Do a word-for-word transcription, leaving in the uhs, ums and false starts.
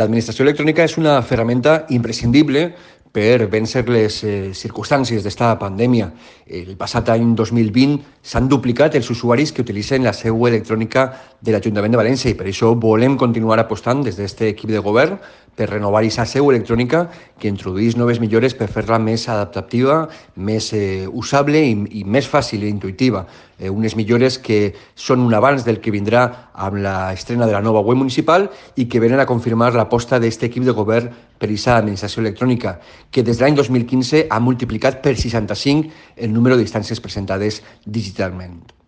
L'administració electrònica és una ferramenta imprescindible per vèncer les eh, circumstàncies d'esta pandèmia. El passat any dos mil vint s'han duplicat els usuaris que utilitzen la seu electrònica de l'Ajuntament de València i per això volem continuar apostant des d'aquest equip de govern per renovar aquesta seu electrònica que introduís noves millores per fer-la més adaptativa, més eh, usable i, i més fàcil i intuïtiva. Eh, unes millores que són un abans del que vindrà amb l'estrena de la nova web municipal i que venen a confirmar l'aposta d'aquest equip de govern per aquesta administració electrònica, que des de l'any dos mil quinze ha multiplicat per seixanta-cinc el número d'instàncies presentades digitalment.